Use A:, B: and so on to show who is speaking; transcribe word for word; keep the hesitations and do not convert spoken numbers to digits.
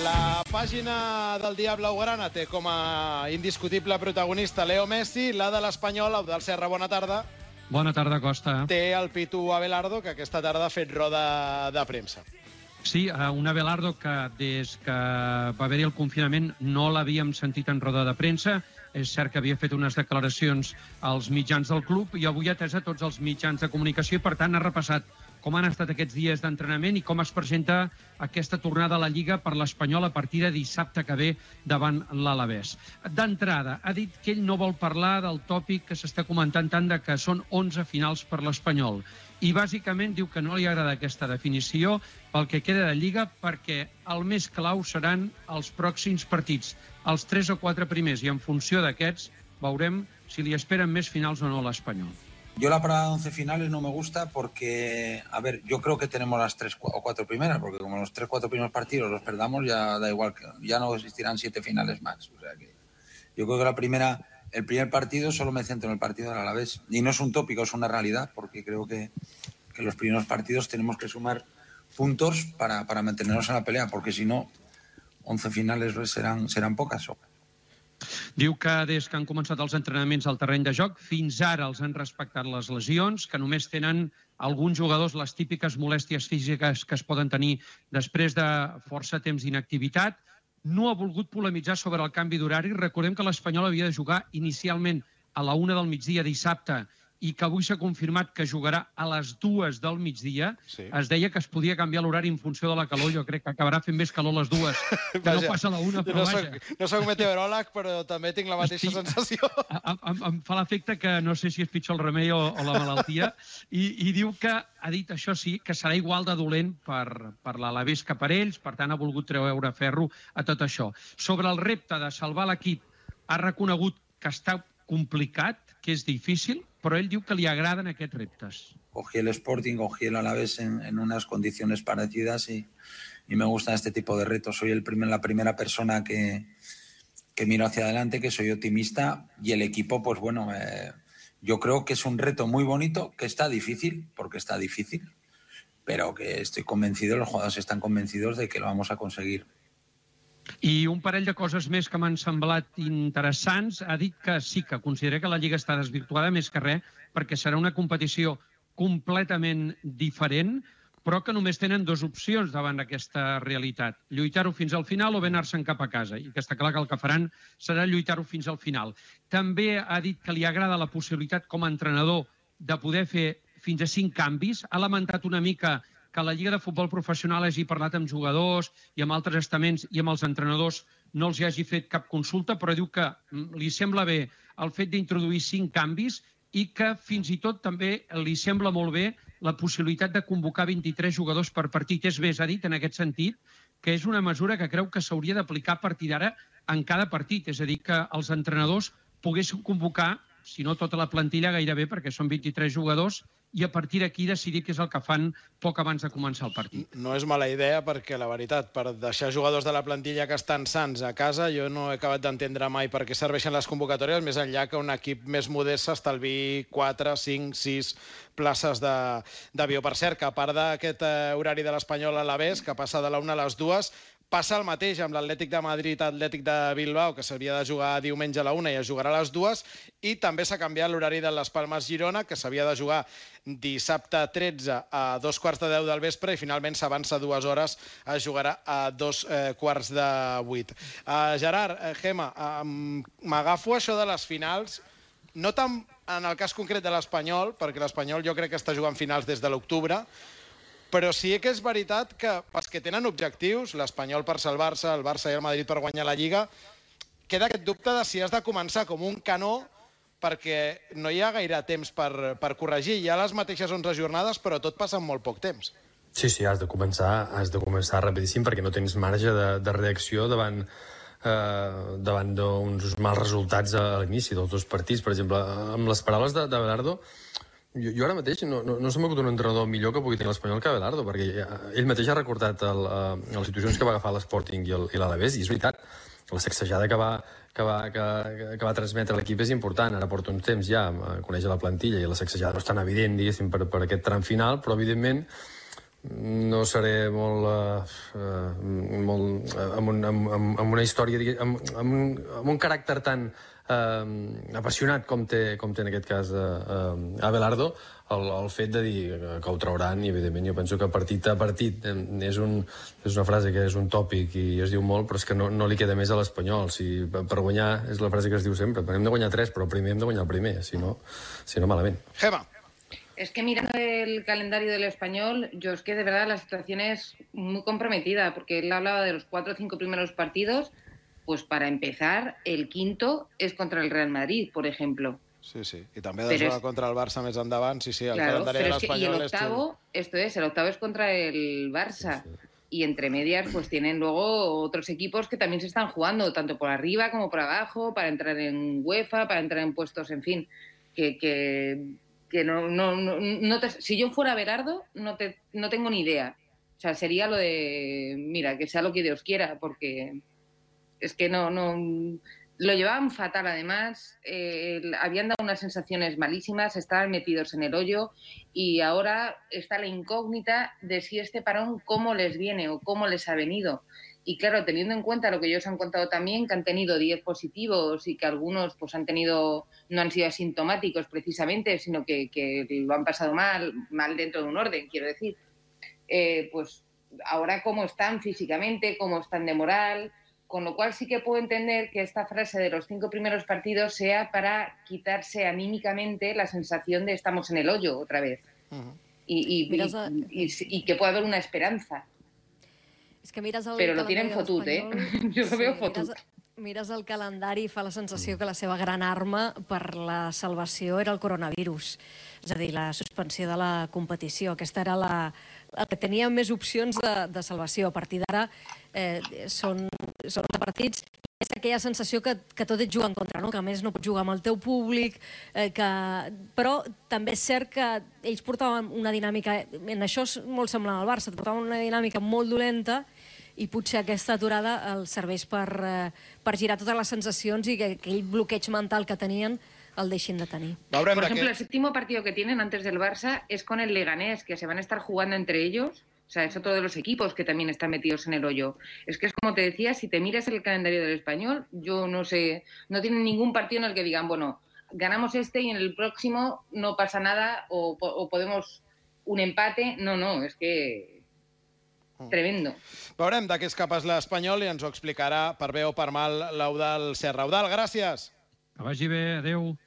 A: La pàgina del dia blaugrana té com a indiscutible protagonista Leo Messi, la de l'Espanyol, Eudald Serra, bona tarda.
B: Bona tarda, Costa.
A: Té el Pitu Abelardo, que aquesta tarda ha fet roda de premsa.
B: Sí, un Abelardo que des que va haver-hi el confinament no l'havíem sentit en roda de premsa. És cert que havia fet unes declaracions als mitjans del club i avui ha atès a tots els mitjans de comunicació i, per tant, ha repassat com han estat aquests dies d'entrenament i com es presenta aquesta tornada a la Lliga per l'Espanyol a partir de dissabte que ve davant l'Alavés. D'entrada, ha dit que ell no vol parlar del tòpic que s'està comentant tant de que són onze finals per l'Espanyol. I bàsicament diu que no li agrada aquesta definició pel que queda de Lliga perquè el més clau seran els pròxims partits, els tres o quatre primers, i en funció d'aquests veurem si li esperen més finals o no a l'Espanyol.
C: Yo la parada de once finales no me gusta porque, a ver, yo creo que tenemos las tres o cuatro primeras, porque como los tres o cuatro primeros partidos los perdamos, ya da igual, que ya no existirán siete finales más. O sea que yo creo que la primera, el primer partido solo me centro en el partido del Alavés. Y no es un tópico, es una realidad, porque creo que, que los primeros partidos tenemos que sumar puntos para, para mantenernos en la pelea, porque si no, once finales serán, serán pocas.
B: Diu que des que han començat els entrenaments al terreny de joc, fins ara els han respectat les lesions, que només tenen alguns jugadors les típiques molèsties físiques que es poden tenir després de força temps d'inactivitat. No ha volgut polemitzar sobre el canvi d'horari. Recordem que l'Espanyol havia de jugar inicialment a la una del migdia dissabte i que avui s'ha confirmat que jugarà a les dues del migdia. Sí. Es deia que es podia canviar l'horari en funció de la calor. Jo crec que acabarà fent més calor a les dues, que vaja, no passa a la una, però
A: no
B: vaja.
A: Soc, no soc meteoròleg, però també tinc la mateixa Estic, sensació.
B: Em, em fa l'efecte que no sé si és pitjor el remei o, o la malaltia. I, I diu que, ha dit això sí, que serà igual de dolent per, per l'Alavés que per ells, per tant ha volgut treure ferro a tot això. Sobre el repte de salvar l'equip, ha reconegut que està complicat, que és difícil, però ell diu que li agraden aquests reptes.
C: Cogí el Sporting, cogí el Alavés en, en unas condiciones parecidas y, y me gustan este tipo de retos. Soy el primer, la primera persona que, que miro hacia adelante, que soy optimista, y el equipo, pues bueno, eh, yo creo que es un reto muy bonito, que está difícil, porque está difícil, pero que estoy convencido, los jugadores están convencidos de que lo vamos a conseguir.
B: I un parell de coses més que m'han semblat interessants. Ha dit que sí, que considera que la Lliga està desvirtuada més que res perquè serà una competició completament diferent, però que només tenen dues opcions davant d'aquesta realitat. Lluitar-ho fins al final o bé anar-se'n cap a casa. I que està clar que el que faran serà lluitar-ho fins al final. També ha dit que li agrada la possibilitat com a entrenador de poder fer fins a cinc canvis. Ha lamentat una mica que la Lliga de Futbol Professional hagi parlat amb jugadors i amb altres estaments i amb els entrenadors no els hi hagi fet cap consulta, però diu que li sembla bé el fet d'introduir cinc canvis i que fins i tot també li sembla molt bé la possibilitat de convocar vint-i-tres jugadors per partit. És més, ha dit en aquest sentit que és una mesura que creu que s'hauria d'aplicar a partir d'ara en cada partit, és a dir, que els entrenadors poguessin convocar, si no tota la plantilla, gairebé, perquè són vint-i-tres jugadors, i a partir d'aquí decidir què és el que fan poc abans de començar el partit.
A: No és mala idea perquè, la veritat, per deixar jugadors de la plantilla que estan sants a casa, jo no he acabat d'entendre mai per què serveixen les convocatòries, més enllà que un equip més modest s'estalvi quatre, cinc, sis places d'avió. Per cert, que a part d'aquest horari de l'Espanyol a l'Alavés, que passa de la una a les dues, passa el mateix amb l'Atlètic de Madrid, Atlètic de Bilbao, que s'hauria de jugar diumenge a la una i es jugarà a les dues, i també s'ha canviat l'horari de les Palmes Girona, que s'havia de jugar dissabte tretze a dos quarts de deu del vespre i finalment s'avança dues hores, es jugarà a dos eh, quarts de vuit. Uh, Gerard, eh, Gemma, uh, m'agafo això de les finals, no tant en el cas concret de l'Espanyol, perquè l'Espanyol jo crec que està jugant finals des de l'octubre, però sí que és veritat que els que tenen objectius, l'Espanyol per salvar-se, el Barça i el Madrid per guanyar la Lliga, queda aquest dubte de si has de començar com un canó perquè no hi ha gaire temps per, per corregir. Hi ha les mateixes onze jornades, però tot passa en molt poc temps.
D: Sí, sí, has de començar, has de començar rapidíssim perquè no tens marge de, de reacció davant, eh, davant d'uns mals resultats a l'inici dels dos partits. Per exemple, amb les paraules de, de Abelardo, Jo, jo ara mateix no, no, no se m'acut un entrenador millor que pugui tenir l'Espanyol que Abelardo, perquè ell mateix ha recordat el, uh, les situacions que va agafar l'Sporting i l'Alavés, i és veritat, la sacsejada que va, que va, que, que va transmetre l'equip és important. Ara porta uns temps ja a conèixer la plantilla i la sacsejada no és tan evident, diguéssim, per, per aquest tram final, però evidentment no seré molt, uh, molt uh, amb, un, amb, amb una història, amb, amb, un, amb un caràcter tan uh, apassionat com té, com té en aquest cas uh, uh, Abelardo, el, el fet de dir que ho trauran, i evidentment jo penso que partit a partit és, un, és una frase que és un tòpic i es diu molt, però és que no, no li queda més a l'Espanyol. Si, per guanyar, és la frase que es diu sempre, hem de guanyar tres, però primer hem de guanyar el primer, si no, si no malament.
A: Gemma.
E: Es que mirando el calendario del Español, yo es que de verdad la situación es muy comprometida, porque él hablaba de los cuatro o cinco primeros partidos, pues para empezar, el quinto es contra el Real Madrid, por ejemplo.
A: Sí, sí, y también de jugar es... contra el Barça més endavant, sí, sí, el
E: claro,
A: calendario del Español.
E: Es que, y el octavo,
A: es...
E: esto es, el octavo es contra el Barça. Sí, sí. Y entre medias pues tienen luego otros equipos que también se están jugando, tanto por arriba como por abajo, para entrar en UEFA, para entrar en puestos, en fin, que... que... que no, no, no, no te, si yo fuera Abelardo, no, te, no tengo ni idea. O sea, sería lo de, mira, que sea lo que Dios quiera, porque es que no, no lo llevaban fatal además, eh, habían dado unas sensaciones malísimas, estaban metidos en el hoyo y ahora está la incógnita de si este parón cómo les viene o cómo les ha venido. Y claro, teniendo en cuenta lo que ellos han contado también, que han tenido diez positivos y que algunos pues han tenido, no han sido asintomáticos precisamente, sino que, que lo han pasado mal, mal dentro de un orden, quiero decir, eh, pues ahora cómo están físicamente, cómo están de moral, con lo cual sí que puedo entender que esta frase de los cinco primeros partidos sea para quitarse anímicamente la sensación de estamos en el hoyo otra vez. Uh-huh. y, y, y, y, y que pueda haber una esperanza.
F: És que mires el
E: Però lo tienen fotut, eh? Jo lo veo fotut.
F: Mires, mires el calendari i fa la sensació que la seva gran arma per la salvació era el coronavirus. És a dir, la suspensió de la competició. Aquesta era la, el que tenia més opcions de, de salvació. A partir d'ara eh, són, són partits. És aquella sensació que, que tot et juga en contra, no? Que a més no pots jugar amb el teu públic, eh, que... però també és cert que ells portaven una dinàmica, en això és molt semblant al Barça, portaven una dinàmica molt dolenta i potser aquesta aturada els serveix per, eh, per girar totes les sensacions i que aquell bloqueig mental que tenien el deixin de tenir.
E: Por ejemplo, el séptimo partido que tienen antes del Barça es con el Leganés, que se van a estar jugando entre ellos. O sea, es otro de los equipos que también están metidos en el hoyo. Es que es como te decía, si te miras el calendario del Español, yo no sé, no tienen ningún partido en el que digan, bueno, ganamos este y en el próximo no pasa nada o, o podemos un empate. No, no, es que... Tremendo.
A: Veurem de què és capaç l'Espanyol i ens ho explicarà per bé o per mal l'Eudald Serra. Eudald, gràcies.
B: Que vagi bé, adeu.